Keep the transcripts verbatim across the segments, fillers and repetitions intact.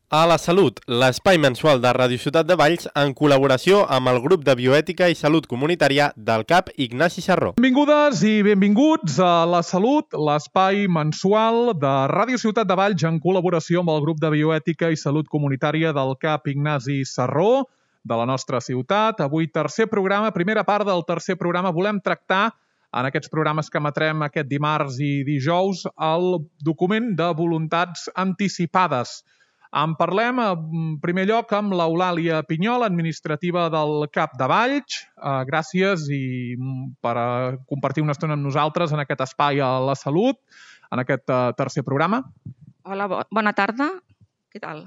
A la Salut, l'espai mensual de Ràdio Ciutat de Valls en col·laboració amb el grup de bioètica i salut comunitària del C A P Ignasi Sarró. Benvingudes i benvinguts a La Salut, l'espai mensual de Ràdio Ciutat de Valls en col·laboració amb el grup de bioètica i salut comunitària del C A P Ignasi Sarró de la nostra ciutat. Avui tercer programa, primera part del tercer programa, volem tractar en aquests programes que emetrem aquest dimarts i dijous el document de voluntats anticipades. En parlem en primer lloc amb l'Eulàlia Pinyol, administrativa del C A P de Valls. Uh, gràcies i per uh, compartir una estona amb nosaltres en aquest espai a La Salut, en aquest uh, tercer programa. Hola, bo bona tarda. Què tal?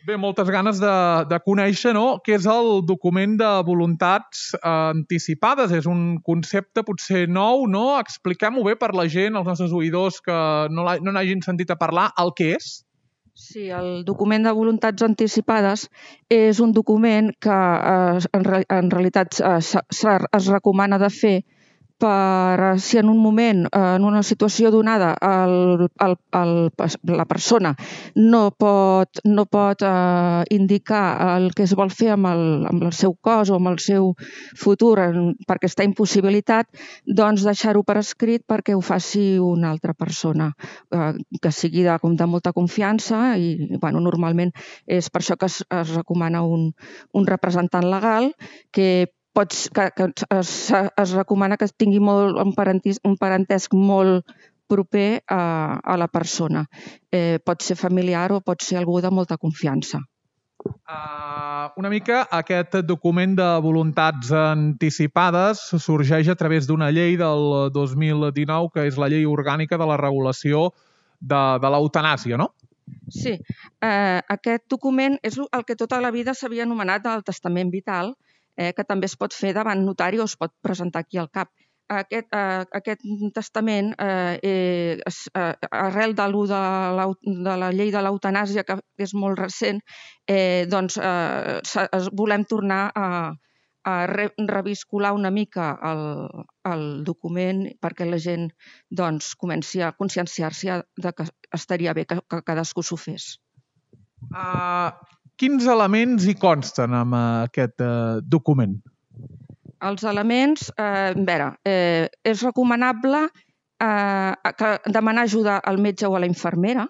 Bé, moltes ganes de, de conèixer, no?, què és el document de voluntats uh, anticipades. És un concepte potser nou, no? Expliquem-ho bé per la gent, els nostres oïdors que no n'hagin sentit a parlar, el que és. Sí, el document de voluntats anticipades és un document que eh, en, re en realitat eh, es recomana de fer per si en un moment, en una situació donada, el, el, el, la persona no pot, no pot eh, indicar el que es vol fer amb el, amb el seu cos o amb el seu futur en, perquè està impossibilitat, doncs deixar-ho per escrit perquè ho faci una altra persona, eh, que sigui de, de molta confiança i bueno, normalment és per això que es, es recomana un, un representant legal que Pots, que, que es, es recomana que tingui molt, un, parentis, un parentesc molt proper a, a la persona. Eh, pot ser familiar o pot ser algú de molta confiança. Uh, una mica aquest document de voluntats anticipades sorgeix a través d'una llei del dos mil dinou, que és la llei orgànica de la regulació de, de l'eutanàsia, no? Sí, eh, aquest document és el que tota la vida s'havia anomenat el testament vital, Eh, que també es pot fer davant notari o es pot presentar aquí al C A P. Aquest, eh, aquest testament, eh, és, eh, arrel de, de, la, de la llei de l'eutanàsia, que és molt recent, eh, doncs eh, volem tornar a, a re, reviscolar una mica el, el document perquè la gent doncs, comenci a conscienciar-se de que estaria bé que, que cadascú s'ho fes. Uh... Quins elements hi consten en aquest eh, document? Els elements, eh, a veure, eh, és recomanable eh, que demanar ajuda al metge o a la infermera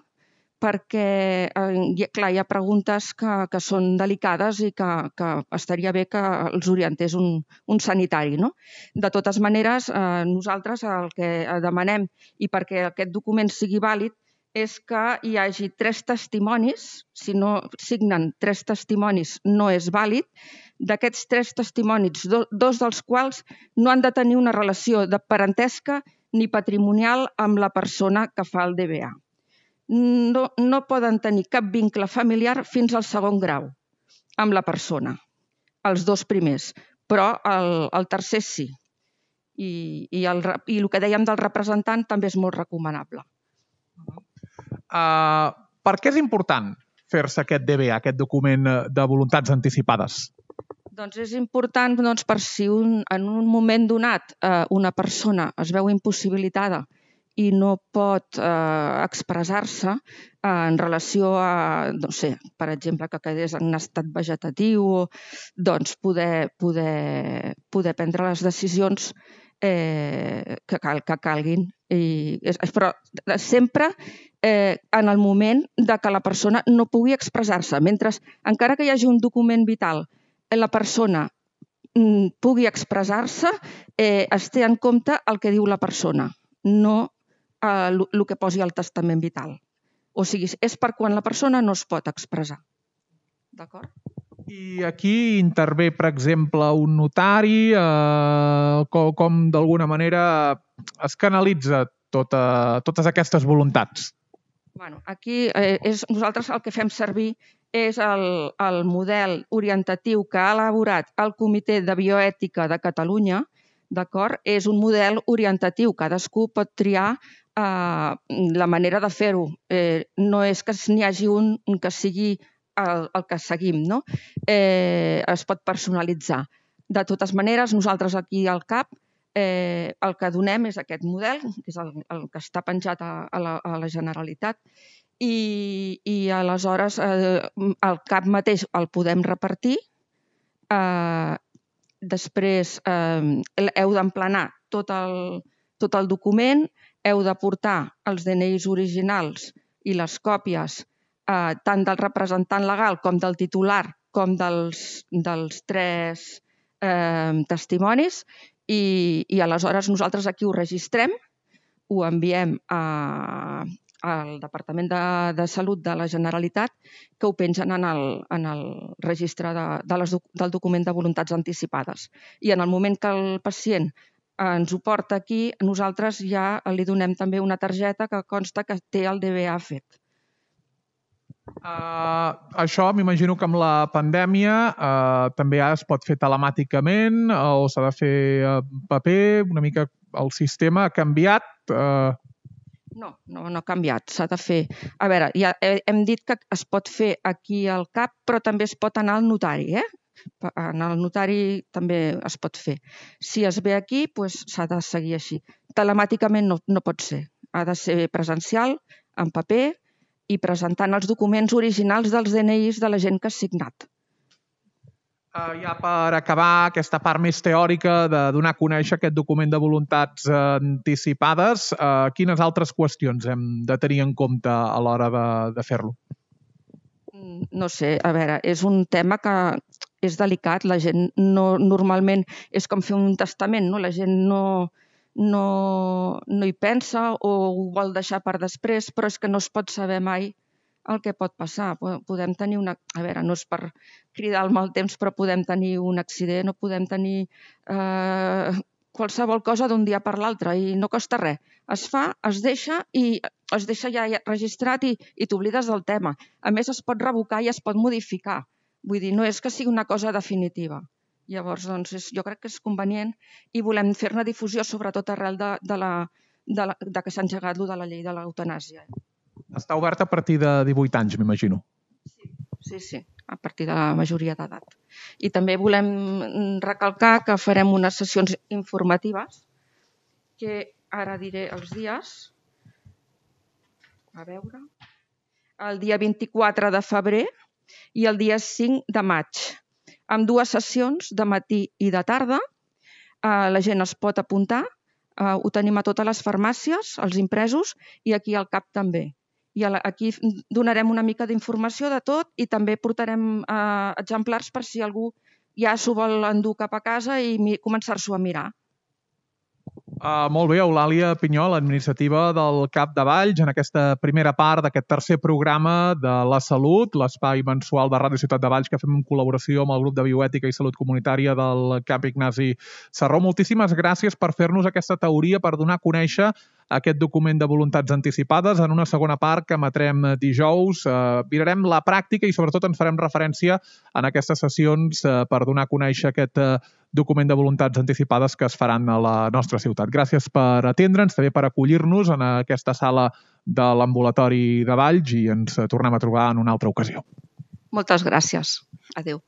perquè, eh, clar, hi ha preguntes que, que són delicades i que, que estaria bé que els orientés un, un sanitari, no? De totes maneres, eh, nosaltres el que demanem i perquè aquest document sigui vàlid és que hi hagi tres testimonis, si no signen tres testimonis no és vàlid, d'aquests tres testimonis, do, dos dels quals no han de tenir una relació de parentesca ni patrimonial amb la persona que fa el D B A. No, no poden tenir cap vincle familiar fins al segon grau amb la persona, els dos primers, però el, el tercer sí. I, i, el, I el que dèiem del representant també és molt recomanable. Uh, per què és important fer-se aquest D B A, aquest document de voluntats anticipades? Doncs és important doncs, per si un, en un moment donat eh, una persona es veu impossibilitada i no pot eh, expressar-se eh, en relació a, no sé, per exemple, que quedés en un estat vegetatiu, doncs poder, poder, poder prendre les decisions eh, que, cal, que calguin. I, però sempre eh, en el moment de que la persona no pugui expressar-se. Mentre, encara que hi hagi un document vital, la persona mm, pugui expressar-se, eh, es té en compte el que diu la persona, no eh, el que posi al testament vital. O sigui, és per quan la persona no es pot expressar. D'acord? I aquí intervé, per exemple, un notari, eh, com, com d'alguna manera es canalitza tota, totes aquestes voluntats? Bueno, aquí eh, és, nosaltres el que fem servir és el, el model orientatiu que ha elaborat el Comitè de Bioètica de Catalunya, d'acord? És un model orientatiu, cadascú pot triar eh, la manera de fer-ho. Eh, no és que n'hi hagi un que sigui el, el que seguim, no? Eh, es pot personalitzar. De totes maneres, nosaltres aquí al C A P eh, el que donem és aquest model, que és el, el que està penjat a, a, la, a la Generalitat, i, i aleshores eh, el cap mateix el podem repartir. Eh, després eh, heu d'emplenar tot el, tot el document, heu de portar els D N Is originals i les còpies eh, tant del representant legal com del titular com dels, dels tres eh, testimonis i, i aleshores nosaltres aquí ho registrem, ho enviem a, al Departament de, de Salut de la Generalitat, que ho pengen en el, en el registre de, de les, del document de voluntats anticipades. I en el moment que el pacient ens ho porta aquí, nosaltres ja li donem també una targeta que consta que té el D B A fet. Uh, això m'imagino que amb la pandèmia uh, també es pot fer telemàticament uh, o s'ha de fer uh, paper, una mica el sistema ha canviat? Uh... No, no, no ha canviat, s'ha de fer. A veure, ja hem dit que es pot fer aquí al CAP, però també es pot anar al notari, eh? En el notari també es pot fer. Si es ve aquí, doncs s'ha de seguir així. Telemàticament no, no pot ser. Ha de ser presencial, en paper, i presentant els documents originals dels D N Is de la gent que ha signat. Uh, ja per acabar aquesta part més teòrica de donar a conèixer aquest document de voluntats anticipades, uh, quines altres qüestions hem de tenir en compte a l'hora de, de fer-lo? No sé, a veure, és un tema que és delicat. La gent no, normalment és com fer un testament, no? La gent no, no, no hi pensa o ho vol deixar per després, però és que no es pot saber mai el que pot passar. Podem tenir una... A veure, no és per cridar el mal temps, però podem tenir un accident o podem tenir eh, qualsevol cosa d'un dia per l'altre i no costa res. Es fa, es deixa i es deixa ja registrat i, i t'oblides del tema. A més, es pot revocar i es pot modificar. Vull dir, no és que sigui una cosa definitiva. Llavors, doncs, és, jo crec que és convenient i volem fer-ne difusió, sobretot arrel de, de, la, de, la, de que s'ha engegat lo de la llei de l'eutanàsia. Està obert a partir de divuit anys, m'imagino. Sí, sí, a partir de la majoria d'edat. I també volem recalcar que farem unes sessions informatives, que ara diré els dies, a veure, el dia vint-i-quatre de febrer i el dia cinc de maig, amb dues sessions de matí i de tarda. La gent es pot apuntar, ho tenim a totes les farmàcies, els impresos, i aquí al CAP també. I aquí donarem una mica d'informació de tot i també portarem eh, exemplars per si algú ja s'ho vol endur cap a casa i començar-s'ho a mirar. Uh, molt bé, Eulàlia Pinyol, administrativa del CAP de Valls, en aquesta primera part d'aquest tercer programa de la salut, l'espai mensual de Ràdio Ciutat de Valls que fem en col·laboració amb el grup de bioètica i salut comunitària del CAP Ignasi Serró. Moltíssimes gràcies per fer-nos aquesta teoria, per donar a conèixer aquest document de voluntats anticipades. En una segona part que emetrem dijous eh, mirarem la pràctica i sobretot ens farem referència en aquestes sessions eh, per donar a conèixer aquest eh, document de voluntats anticipades que es faran a la nostra ciutat. Gràcies per atendre'ns, també per acollir-nos en aquesta sala de l'ambulatori de Valls i ens tornem a trobar en una altra ocasió. Moltes gràcies. Adéu.